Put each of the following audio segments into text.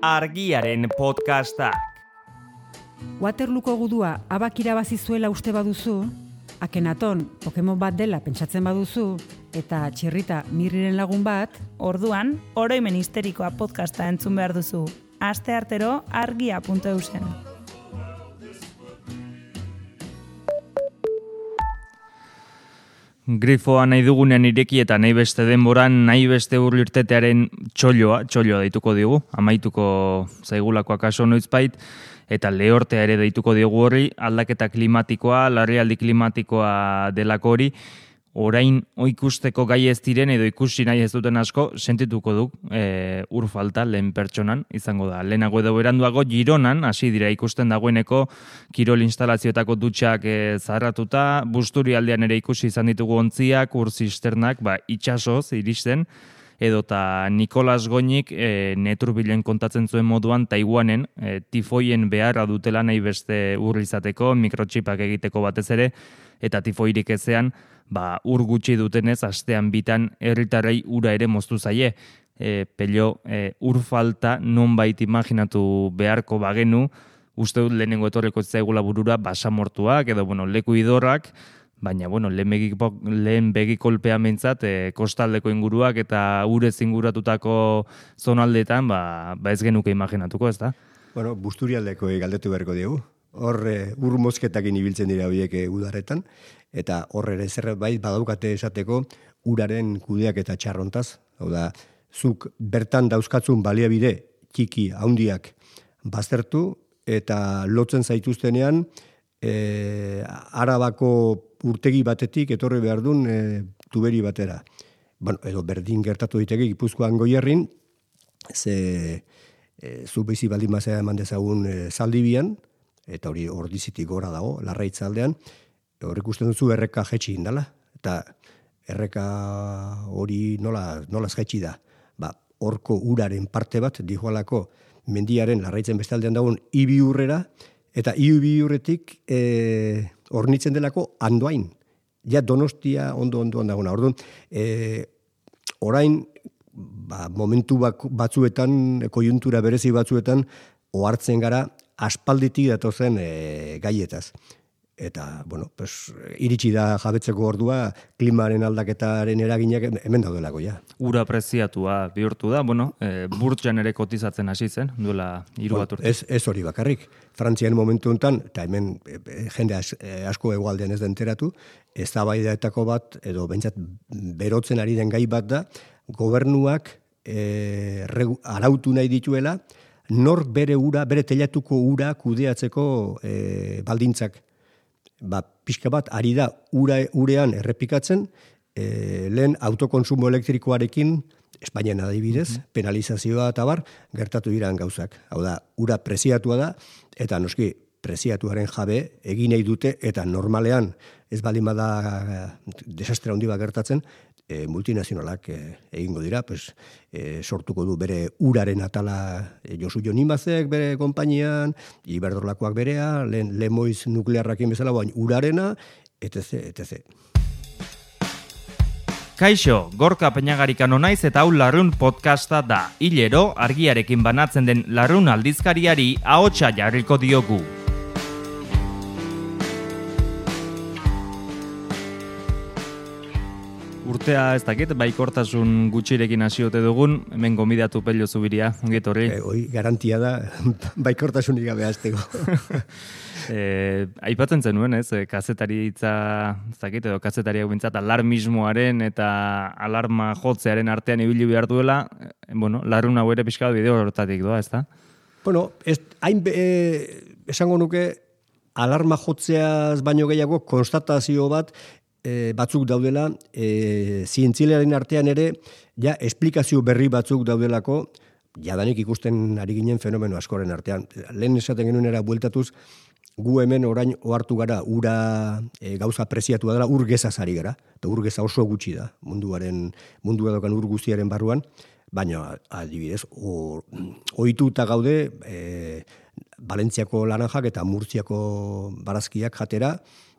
Argiaren podcastak. Waterlooko gudua abak irabazi zuela uste baduzu, Akenaton Pokemon bat dela pentsatzen baduzu, eta Txirrita Mirriren lagun bat, orduan, oroimen histerikoa podcasta entzun behar duzu. Asteartero argia.eusen. Grifoa nahi dugunean ireki eta nahi beste denboran, nahi beste urlirtetearen txolloa deituko digu, amaituko zaigulako akaso noizbait, eta lehortea ere deituko digu horri, aldaketa klimatikoa, larrialdi klimatikoa delako hori, orain ikusteko gai ez diren edo ikusi nahi ez duten asko, sentituko du ur falta lehen pertsonan, izango da. Lehenago edo beranduago Gironan, hasi dira ikusten dagoeneko kirol instalazioetako dutxak zaharratuta, Busturi aldean ere ikusi izan ditugu ontziak, ur zisternak, itxasoz iristen, edota Nikolas Goñik neturbilen kontatzen zuen moduan Taiwanen tifoien beharra dutela nahi beste ur izateko, mikrotxipak egiteko batez ere, eta tifoirik ezean, ur gutxi dutenez, astean bitan herritarrei ura ere moztu zaie. Pello, ur falta nonbait imaginatu beharko bagenu, uste dut lehenengo etorreko zaigula burura basamortuak, edo leku idorrak, baina lehen begikolpea mentzat, kostaldeko inguruak eta urez inguratutako zonaldetan, ez genuke imaginatuko, ez da? Busturialdeko galdetu beharko diegu. Hor ur mozketakin ibiltzen dira horiek udaretan, eta hor ere zerbait badaukate esateko uraren kudeak eta txarrontaz. Hau da, zuk bertan dauzkatzun baliabide txiki handiak baztertu eta lotzen zaituztenean Arabako urtegi batetik etorri behar duen tuberi batera. Edo berdin gertatu diteke Gipuzkoan Goierrin, zu bizi baldin mazera eman dezagun Zaldibian, eta hori Ordizitik gora dago, Larraitzaldean, hor ikusten duzu erreka jetxi indala, eta erreka hori nola jetxi da. Horko uraren parte bat, dijoalako mendiaren Larraitzen bestaldean dagoen Ibiurrera, eta Ibiurretik hornitzen delako Andoain. Ja Donostia ondo-ondoan dagoena. Orduan, orain, momentu batzuetan, kojuntura berezi batzuetan, ohartzen gara aspalditik datozen gaietaz. Eta, iritsi da jabetzeko ordua, klimaren aldaketaren eraginak hemen daudelako, ja. Ura preziatua bihurtu da, burtsan ere kotizatzen hasi zen, duela 3 bat urte. Ez hori bakarrik. Frantzian momentu honetan, eta hemen jende asko hegoaldean ez da enteratu, eztabaidaetako bat, edo bentsat berotzen ari den gai bat da, gobernuak arautu nahi dituela, nor bere telatuko ura kudeatzeko baldintzak. Pixka bat, ari da urean errepikatzen, lehen autokonsumo elektrikoarekin, Espainian adibidez, penalizazioa eta gertatu diran gauzak. Hau da, ura preziatua da, eta noski preziatuaren jabe egin nahi dute, eta normalean ez baldin bada desastre handi bat gertatzen, multinazionalak egingo dira, sortuko du bere uraren atala Josu Jonimazek bere konpainian, Iberdrolakoak berea, Lemoiz nuklearrakin bezala, urarena, etc. Kaixo, Gorka Peñagarikano naiz eta hau Larrun podcasta da. Hilero, argiarekin banatzen den Larrun aldizkariari ahotsa jarriko diogu. Urtea ez dakit, baikortasun gutxirekin hasiote dugun, hemen gomidatu Pello Zubiria, ongiet horri. Garantia da, baikortasunik gabe hasteko. Aipatzen zenuen, ez, kazetaritza, ez dakit, edo kazetariak bintzat alarmismoaren eta alarma jotzearen artean ibili behar duela, Larrun hau ere pixka bideo hortatik doa, ez da? Esango nuke, alarma jotzeaz baino gehiago konstatazio bat, batzuk daudela, zientzilearen artean ere, ja, esplikazio berri batzuk daudelako, jadanik ikusten ari ginen fenomeno askoren artean. Lehen esaten genuen era bueltatuz, gu hemen orain ohartu gara, ura gauza preziatua dela, ur gezaz ari gara, eta ur geza oso gutxi da, mundua dokan ur guztiaren barruan, baina adibidez, ohituta gaude, Valentziako laranjak eta Murtziako barazkiak jatera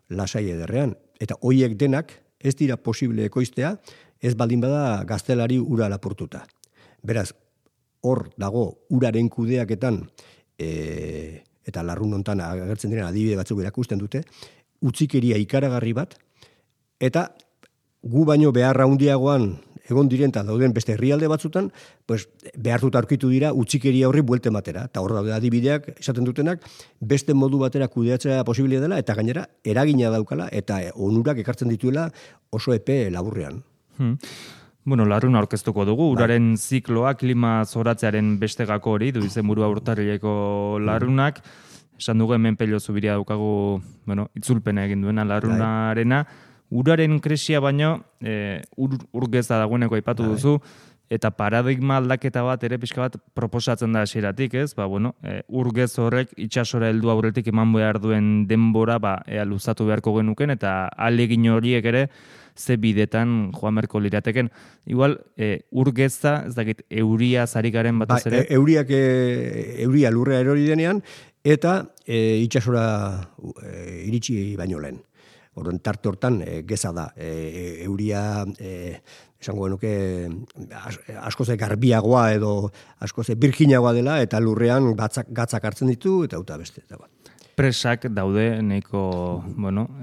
lasai ederrean. Eta hoiek denak ez dira posible ekoiztea, ez baldin bada gaztelari ura lapurtuta. Beraz, hor dago uraren kudeaketan, eta larrun hontan agertzen diren adibide batzuk erakusten dute, utzikeria ikaragarri bat, eta gu baino beharra handiagoan egon diren eta dauden beste herrialde batzutan, pues, behartuta aurkitu dira utzikeria horri buelte matera. Eta hor daude adibideak esaten dutenak, beste modu batera kudeatzea posibilia dela, eta gainera eragina daukala, eta onurak ekartzen dituela oso epe laburrean. Bueno, larrun aurkeztuko dugu, uraren zikloa, klima zoratzearen beste gako hori, du izenburua urtarrileko larrunak, esan dugu hemen Pello Zubiria daukagu, bueno, itzulpena egin duena larrunarena, uraren krisia baino, urgeza dagoeneko aipatu duzu, eta paradigma aldaketa bat ere pixka bat proposatzen da hasieratik, ez? Bueno, urgez horrek itsasora heldu aurretik eman behar duen denbora, ea luzatu beharko genuken, eta ahalegin horiek ere ze bidetan joan beharko lirateken. Igual, urgeza, ez dakit, euria zarikaren batez ere? Euria lurrea erori denean, eta itsasora iritsi baino lehen. Orduan, tarte hortan geza da. Euria, esango genuke, askoz garbiagoa edo askoz birjinagoa dela, eta lurrean gatzak hartzen ditu, eta beste. Presak daude nahiko,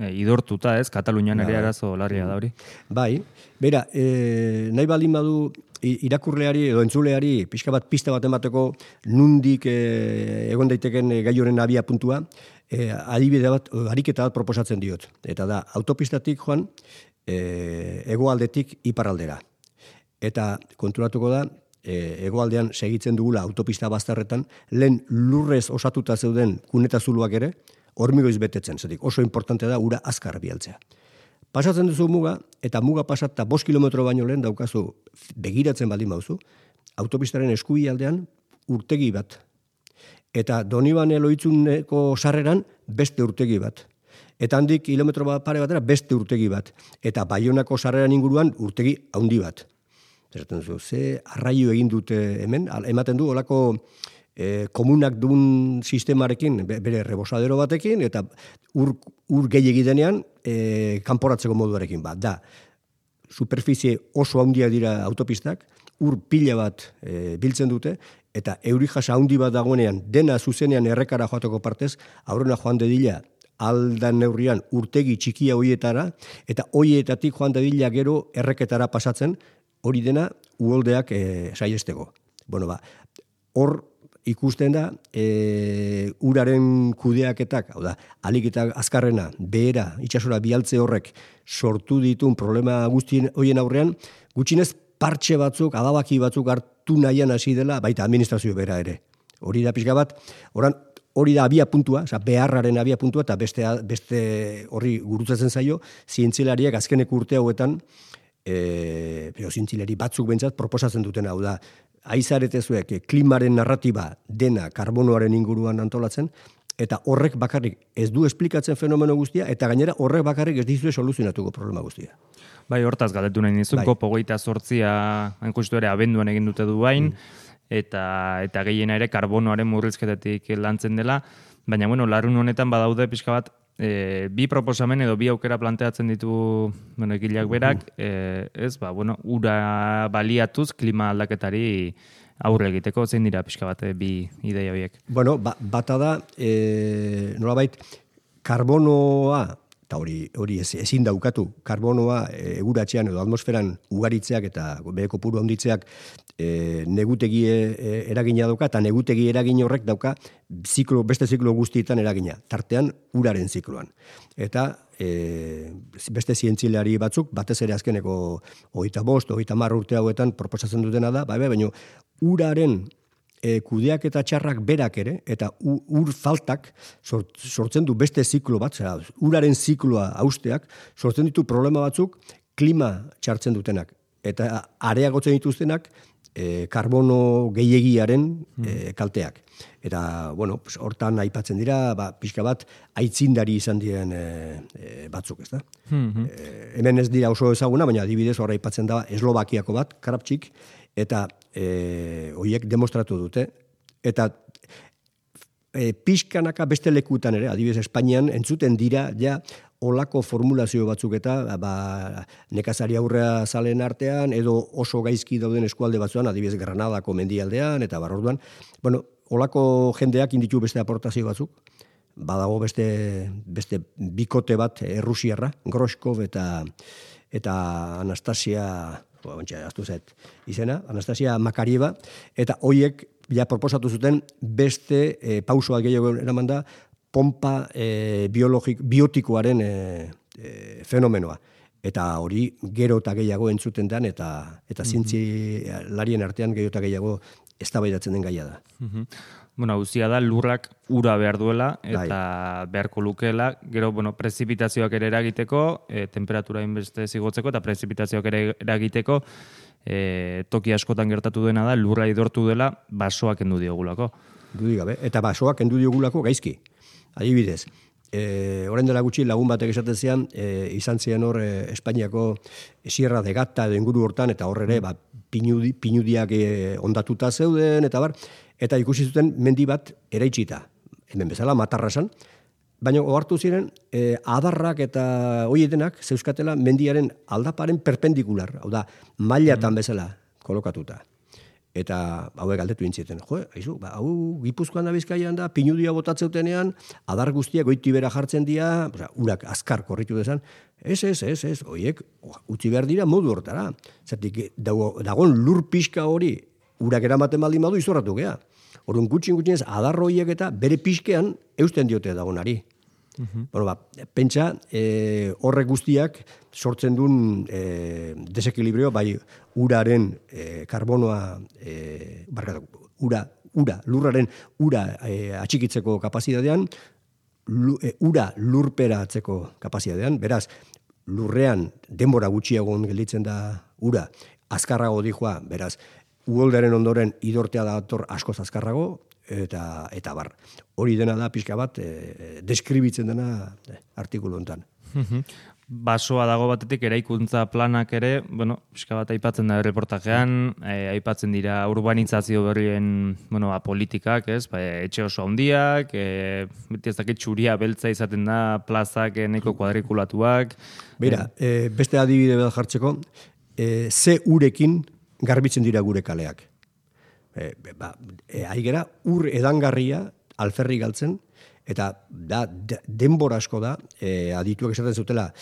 idortuta, ez? Katalunian ere arazo larria da hori. Bai, bera, nahi baldin badu irakurleari edo entzuleari pixka bat pista bat emateko nundik egon daiteken gai horren abia puntua, adibide bat, ariketa bat proposatzen diot. Eta da, autopistatik joan, hegoaldetik iparraldera. Eta konturatuko da, hegoaldean segitzen dugula autopista bazterretan, lehen lurrez osatuta zeuden kuneta zuluak ere, hormigoiz betetzen, zetik oso importante da ura azkar bialtzea. Pasatzen duzu muga, eta muga pasata 5 kilometro baino lehen daukazu begiratzen baldin bauzu, autopistaren eskuialdean urtegi bat. Eta Donibane Loitzuneko sarreran beste urtegi bat. Eta handik kilometro pare batera beste urtegi bat. Eta Baionako sarreran inguruan urtegi handi bat. Zeraten duzu, ze arraio egin dute hemen, ematen du olako komunak duen sistemarekin, bere rebosadero batekin, eta ur gehiegi denean kanporatzeko moduarekin bat. Da, superficie oso handia dira autopistak, ur pila bat biltzen dute, eta euri jasa handi bat dagoenean, dena zuzenean errekara joateko partez, aurrena joan dedila aldan neurrian urtegi txikia hoietara, eta hoietatik joan dedila gero erreketara pasatzen, hori dena uholdeak saiesteko. Hor ikusten da, uraren kudeaketak, hau da, alik eta azkarrena, behera, itsasora bialtze horrek sortu ditun problema guztien horien aurrean, gutxinez partxe batzuk, adabaki batzuk hartu nahian hasi dela, baita administrazio bera ere. Hori da pixka bat, hori da abia puntua, beharraren abia puntua, eta beste horri gurutzatzen zaio, zientzilariak azkeneko urte hauetan, zientzilari batzuk bentsat proposatzen duten hau da, aizaretezuek klimaren narratiba dena karbonoaren inguruan antolatzen, eta horrek bakarrik ez du esplikatzen fenomeno guztia, eta gainera horrek bakarrik ez dizue soluzionatuko problema guztia. Bai, hortaz galdetu nahi nizun, COP 28 hain justu ere abenduan egin dute du bain, eta gehiena ere karbonoaren murrizketatik lantzen dela, baina larrun honetan badaude pixka bat, bi proposamen edo bi aukera planteatzen ditu egileak berak, ura baliatuz klima aldaketari aurre egiteko, zein dira pixka bat bi ideia horiek? Bata da, nolabait, karbonoa, eta hori ezin daukatu, karbonoa eguratzean edo atmosferan ugaritzeak eta bere kopuru handitzeak negutegi eragina dauka, eta negutegi eragin horrek dauka beste ziklo guztietan eragina, tartean uraren zikloan. Eta beste zientzilari batzuk, batez ere azkeneko 25, 30 urte hauetan proposatzen dutena da, baina uraren kudeak eta txarrak berak ere, eta ur faltak sortzen du beste ziklo bat, uraren zikloa hausteak, sortzen ditu problema batzuk klima txartzen dutenak. Eta areagotzen dituztenak karbono gehiegiaren kalteak. Eta, hortan aipatzen dira, pixka bat, aitzindari izan diren batzuk, ez da? Hemen ez dira oso ezaguna, baina adibidez horra aipatzen da Eslovakiako bat, Krapčik, eta horiek demostratu dute. Eta pixkanaka beste lekutan ere, adibidez Espainian, entzuten dira, olako formulazio batzuk eta nekazari aurrea zalen artean, edo oso gaizki dauden eskualde batzuan, adibidez Granadako mendialdean, eta orduan, olako jendeak inditu beste aportazio batzuk, badago beste bikote bat Errusiarra, Groskov eta Anastasia, izena, Anastasia Makarieva, eta hoiek ja proposatu zuten beste pausoak gehiago eraman da, pompa biotikoaren fenomenoa. Eta hori gero eta gehiago entzuten den, eta zientzialarien artean gero eta gehiago eztabaidatzen den gaia da. Guztia da, lurrak ura behar duela, eta beharko lukeela, gero, prezipitazioak ere eragiteko, temperatura inbeste zigotzeko, eta prezipitazioak ere eragiteko, toki askotan gertatu dena da, lurra idortu dela, basoak endu diogulako. Dudik gabe, eta basoak endu diogulako gaizki. Adibidez, orain dela gutxi lagun batek esaten zian, izan zian hor Espainiako Sierra de Gata edo inguru hortan, eta hor ere pinudiak ondatuta zeuden, eta ikusi zuten mendi bat eraitsita. Hemen bezala, Matarrasan, baina ohartu ziren, adarrak eta hoietenak zeuskatela mendiaren aldaparen perpendikular, hau da, mailatan bezala kolokatuta. Eta hauek galdetu intzieten, hau Gipuzkoan da Bizkaian da, pinudia botatzeutenean, adar guztiak goitibera jartzen dira, urak azkar korritu dezan, ez, hoiek utzi behar dira modu hortara. Zertik, dagoen lur pixka hori, urak eramaten baldin badu izorratu gea. Orduan gutxin ez, adar horiek eta bere pixkean eusten diote dagoenari. Pentsa, horrek guztiak sortzen duen desekilibrio, bai uraren karbonoa, lurraren ura atxikitzeko kapazitatean, ura lurperatzeko kapazitatean, beraz, lurrean denbora gutxiagon gelditzen da ura, azkarrago dijoa, beraz, uholderen ondoren idortea dator askoz azkarrago, eta bar. Hori dena da pixka bat deskribitzen dena artikulu hontan. Basoa dago batetik eraikuntza planak ere, pixka bat aipatzen da reportajean, aipatzen dira urbanizazio berrien, politikak, ez? Etxe oso handiak, beti ez dakit txuria beltza izaten da, plazak nahiko kuadrikulatuak. Beira, beste adibide bat jartzeko, ze urekin garbitzen dira gure kaleak. Aigera, ur edangarria alferri galtzen, eta denbora asko da, adituak esaten zutela,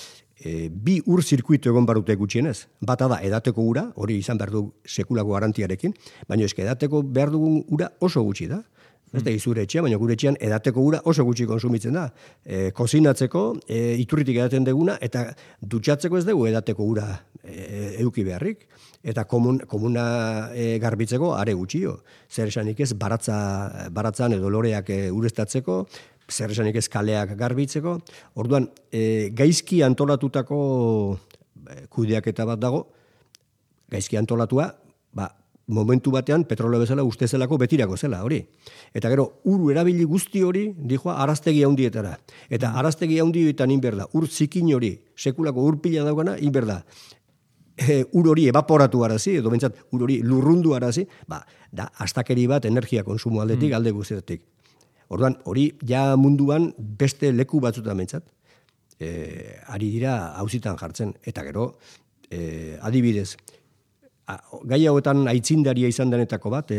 bi ur zirkuitu egon barute gutxienez. Bata da, edateko ura, hori izan behar du sekulako garantiarekin, baina eske edateko behar dugun ura oso gutxi da. Ez da izure etxea, baina gure etxean edateko ura oso gutxi konsumitzen da. Kozinatzeko, iturritik edaten deguna, eta dutxatzeko ez dugu edateko ura eduki beharrik. Eta komuna garbitzeko are gutxio. Zer esanik ez baratzan edo loreak ureztatzeko, zer esanik ez kaleak garbitzeko. Orduan, gaizki antolatutako kudeaketa bat dago, gaizki antolatua, momentu batean petroleo bezala uste zelako betirako zela, hori. Eta gero, uru erabili guzti hori, dijoa, araztegi handietara. Eta araztegi handietan inberda, ur zikin hori, sekulako ur pila daukana, inberda. Ur hori evaporatu arazi, edo bentsat, ur hori lurrundu arazi, da astakeri bat energia konsumo aldetik, alde guztietik. Orduan, hori ja munduan beste leku batzutan bentsat, ari dira hauzitan jartzen. Eta gero, adibidez, gai hauetan aitzindaria izan denetako bat,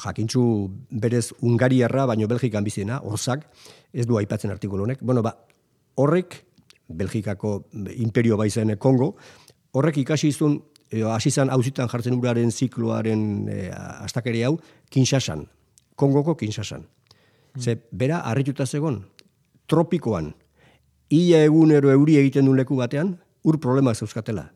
jakintzu berez Hungariarra, baino Belgikan bizena, Orzak, ez du aipatzen artikulu honek. Horrek, Belgikako imperio baizen Kongo, horrek ikasi izun, hasi zan hauzitan jartzen uraren zikloaren astakeri hau, Kinshasan, Kongoko Kinshasan. Ze, bera, harrituta zegon, tropikoan, ia egunero euri egiten duen leku batean, ur problemak zeuzkatela.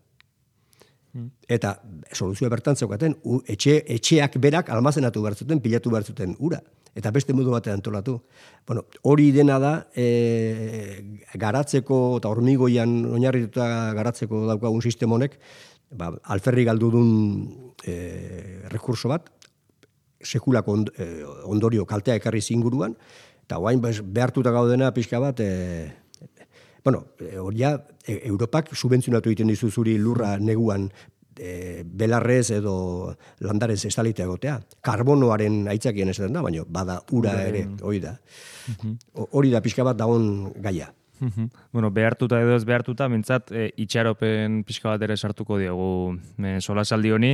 Eta soluzioa bertan zeukaten, etxeak berak almazenatu behar zuten, pilatu behar zuten ura. Eta beste modu batean antolatu. Hori dena da, garatzeko eta hormigoian oinarrituta garatzeko daukagun sistemonek, alferri galdudun rekurso bat, sekulako ondorio kaltea ekarri zinguruan, eta guain behartuta gaudena pixka bat, Europak subentzionatu egiten dizu zuri lurra neguan belarrez edo landarez estalitea egotea. Karbonoaren aitzakien esaten da, baina bada ura ere, hori da. Hori da pixka bat dagoen gaia. Bueno, behartuta edo ez behartuta, mintzat, itxaropen pixka bat ere sartuko diogu solasaldi honi,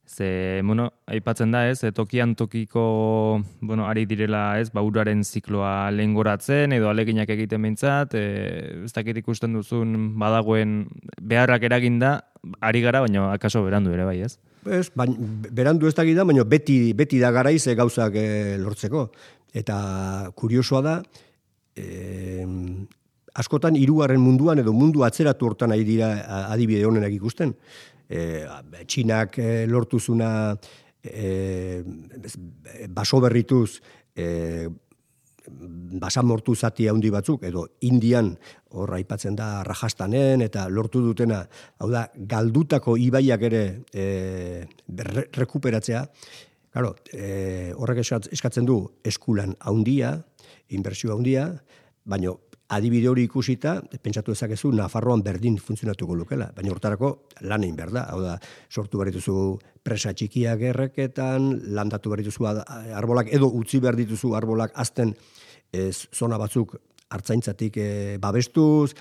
ze, bueno, aipatzen da, ez, tokian tokiko, bueno, ari direla, ez, uraren zikloa lehengoratzen, edo aleginak egiten mintzat, ez dakit ikusten duzun badagoen beharrak eraginda, ari gara, baina akaso berandu ere bai, ez? Ez, berandu ez dakit da, baina beti da garaiz gauzak lortzeko. Eta kuriosoa da, askotan hirugarren munduan edo mundu atzeratu hortan ari dira adibide honenak ikusten. Txinak lortuzuna baso berrituz basamortu zati handi batzuk, edo Indian hor aipatzen da Rajastanen, eta lortu dutena, hau da, galdutako ibaiak ere rekuperatzea. Claro, horrek eskatzen du eskulan handia, inbertsio handia, baina adibide hori ikusita, pentsatu dezakezu, Nafarroan berdin funtzionatuko lukela, baina hortarako lan egin behar da. Hau da, sortu behar dituzu presa txikiak erreketan, landatu behar dituzu arbolak, edo utzi behar dituzu arbolak azten zona batzuk hartzaintzatik babestuz,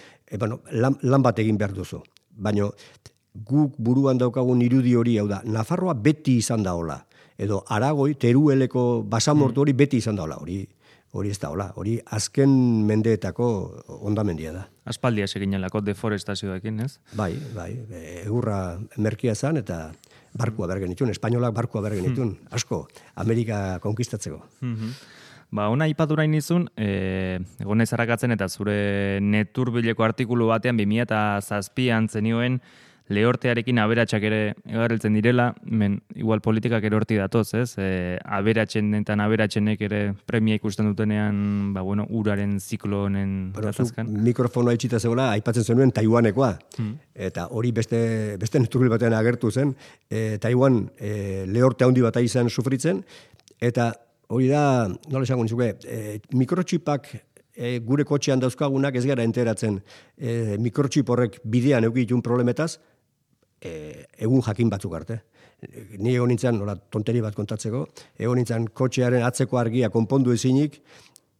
lan bat egin behar duzu. Baina guk buruan daukagun irudi hori, hau da, Nafarroa beti izan da hola, edo Aragoi, Terueleko basamortu hori beti izan da hola, hori ez da hola, hori azken mendeetako ondamendia da. Aspaldia seginelako deforestazioekin, ez? Bai, egurra merkia zan eta barkua bergen itun, espainolak barkua bergen itun, asko, Amerika konkistatzeko. Ona ipaturain izun, egonez harakatzen eta zure neturbileko artikulu batean 2007an zenioen lehortearekin aberatsak ere egarriltzen direla, igual politikak ere horti datoz, ez? Aberatsen eta aberatsenek ere premia ikusten dutenean, uraren ziklo honen gatazkan. Mikrofonoa itxita zegoela, aipatzen zenuen Taiwanekoa. Eta hori beste neturbil batean agertu zen. Taiwan lehorte handi bat izan sufritzen, eta hori da, nola esango nizuke, mikrotxipak gure kotxean dauzkagunak ez gara enteratzen. Mikrotxip horrek bidean eukitun problemetaz, egun jakin batzuk arte. Ni egon nintzen, nola tonteri bat kontatzeko, egon nintzen kotxearen atzeko argia konpondu ezinik,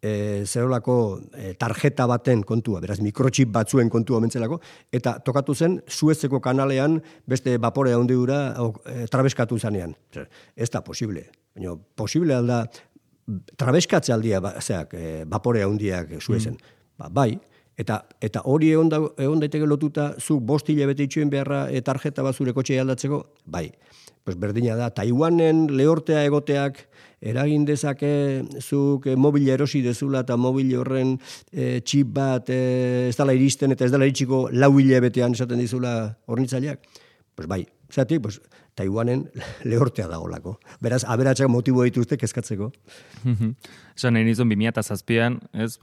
zerolako tarjeta baten kontua, beraz mikrotxip batzuen kontua mentzelako, eta tokatu zen Suezeko kanalean beste vapore handi dura trabeskatu zanean. Ez da posible. Baina posible alda trabeskatze aldia vapore handiak Suezen. Bai. Eta hori egon daiteke lotuta, zuk 5 hilabete itxuen beharra tarjeta bat zure kotxea aldatzeko, bai. Pues berdina da, Taiwanen lehortea egoteak eragin dezake zuk mobile erosi dezula eta mobile horren txip bat ez dela iristen eta ez dela iritsiko 4 hilabetean esaten dizula hornitzaileak. Pues bai, zatik, pues Taiwanen lehortea dagolako. Beraz, aberatsak motibo dituzte kezkatzeko. Esan nahi nizun 2007an, ez,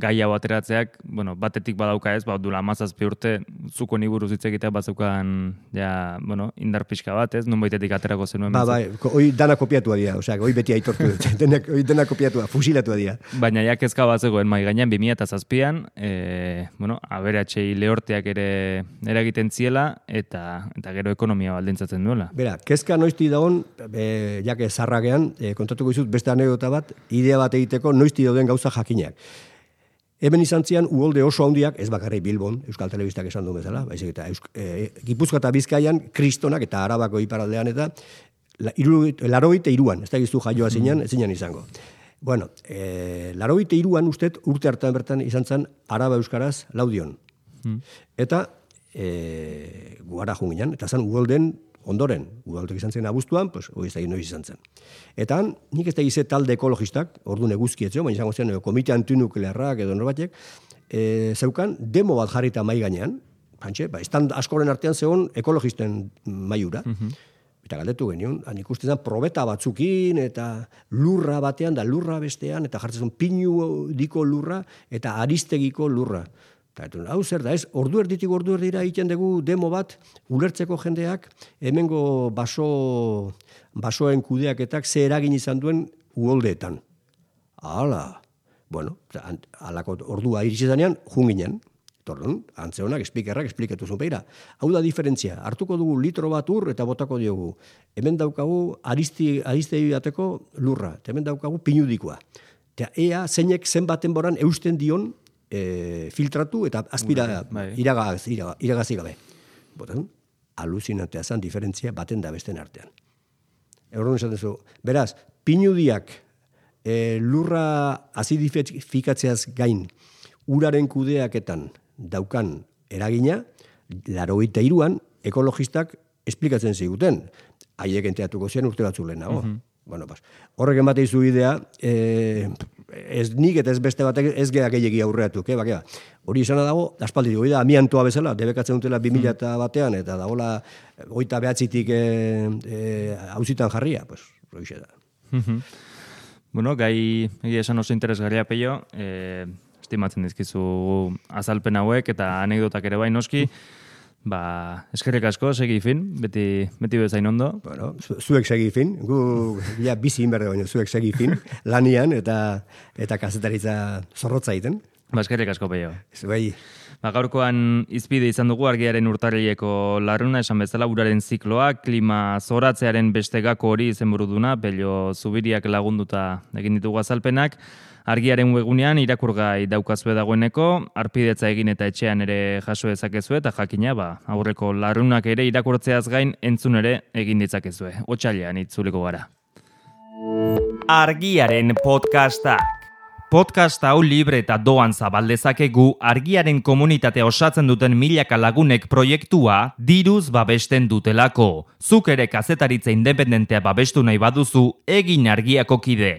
gai hau ateratzeak, batetik badauka ez, dula 17 urte, zuko ni buruz hitz egitea batzeukan, indar pixka bat, ez, nonbaitetik aterako zenuen. Hoi dana kopiatua dira, hoi beti aitortu dut, hoi dena kopiatua, fusilatua dira. Baina ja kezka bat zegoen mai gainean 2007an, aberatsei lehorteak ere eragiten ziela, eta gero ekonomia baldintzatzen duela. Bera, kezka noizti dagoen, jake zarragean, kontatuko izut beste anekdota bat, idea bat egiteko noizti dauden gauza jakinak. Hemen izan zian, uholde oso handiak, ez bakarrik Bilbon, Euskal Telebistak esan duen bezala, baizik eta Gipuzkoa eta Bizkaian, Kristonak eta Arabako iparaldean eta 83an, ez da giztu jaioa zinean, ez zinean izango. 83an ustet urte hartan bertan izan zen Araba Euskaraz Laudion. Eta guara junginan, eta zen uholden ondoren, udaltek izan zen abuztuan, hori ez da noiz izan zen. Eta nik ez da ize talde ekologistak, orduan eguzkietzeo, baina izango zen komite antinuklearrak edo norbatek, zeukan demo bat jarrita mai gainean, estan askoren artean zegoen ekologisten maiura. Eta galdetu genion, ikusten zen probeta batzukin, eta lurra batean, da lurra bestean, eta jartzen zen pinu diko lurra, eta aristegiko lurra. Hau zer da, ez, ordu erditik ordu erdira egiten dugu demo bat, ulertzeko jendeak, hemengo basoen kudeaketak ze eragin izan duen uholdeetan. Hala, alako ordua iritsi zanean, junginen. Tordun, antzeonak, esplikatu zuen. Beira, hau da diferentzia. Hartuko dugu litro bat ur eta botako diogu. Hemen daukagu aristei bateko lurra. Eta hemen daukagu pinudikoa. Eta ea zeinek zenbaten boran eusten dion filtratu eta aspira iragazi gabe. Botan, aluzinantea zen diferentzia baten da besten artean. Horren esaten zu, beraz, pinudiak lurra azidifikatzeaz gain uraren kudeaketan daukan eragina, 83an ekologistak esplikatzen ziguten. Haiek enteatuko zian urte batzu lehenago. Bueno, horrek ematen izu idea, ez nik eta ez beste batek ez geha gehiagi aurreatuk. Hori izana dago, aspaldi dugu, amiantoa bezala, debekatzen dutela 2000 batean, eta dagoela 29tik hauzitan jarria, pues, hori da. Bueno, gai egia esan oso interesgarria, Peio, estimatzen dizkizu azalpen hauek eta anekdotak ere bai noski, eskerrik asko, segi fin, beti bezain ondo. Bueno, zuek segi fin, gu bizi inberde baino zuek segi fin, lanian eta kazetaritza zorrotza egiten. Eskerrik asko, Peio. Zuei. Gaurkoan izpide izan dugu argiaren urtarrileko larruna, esan bezala uraren zikloa, klima zoratzearen beste gako hori izenburu duna, Pello Zubiriak lagunduta egin ditugu azalpenak. Argiaren webunean irakurgai daukazue dagoeneko, arpidetza egin eta etxean ere jaso dezakezue eta jakina, aurreko larrunak ere irakurtzeaz gain entzun ere egin ditzakezue. Otsailean itzuliko gara. Argiaren podcastak. Podcast hau libre eta doan zabaldezakegu argiaren komunitatea osatzen duten milaka lagunek proiektua diruz babesten dutelako. Zuk ere kazetaritza independentea babestu nahi baduzu, egin Argiako kide.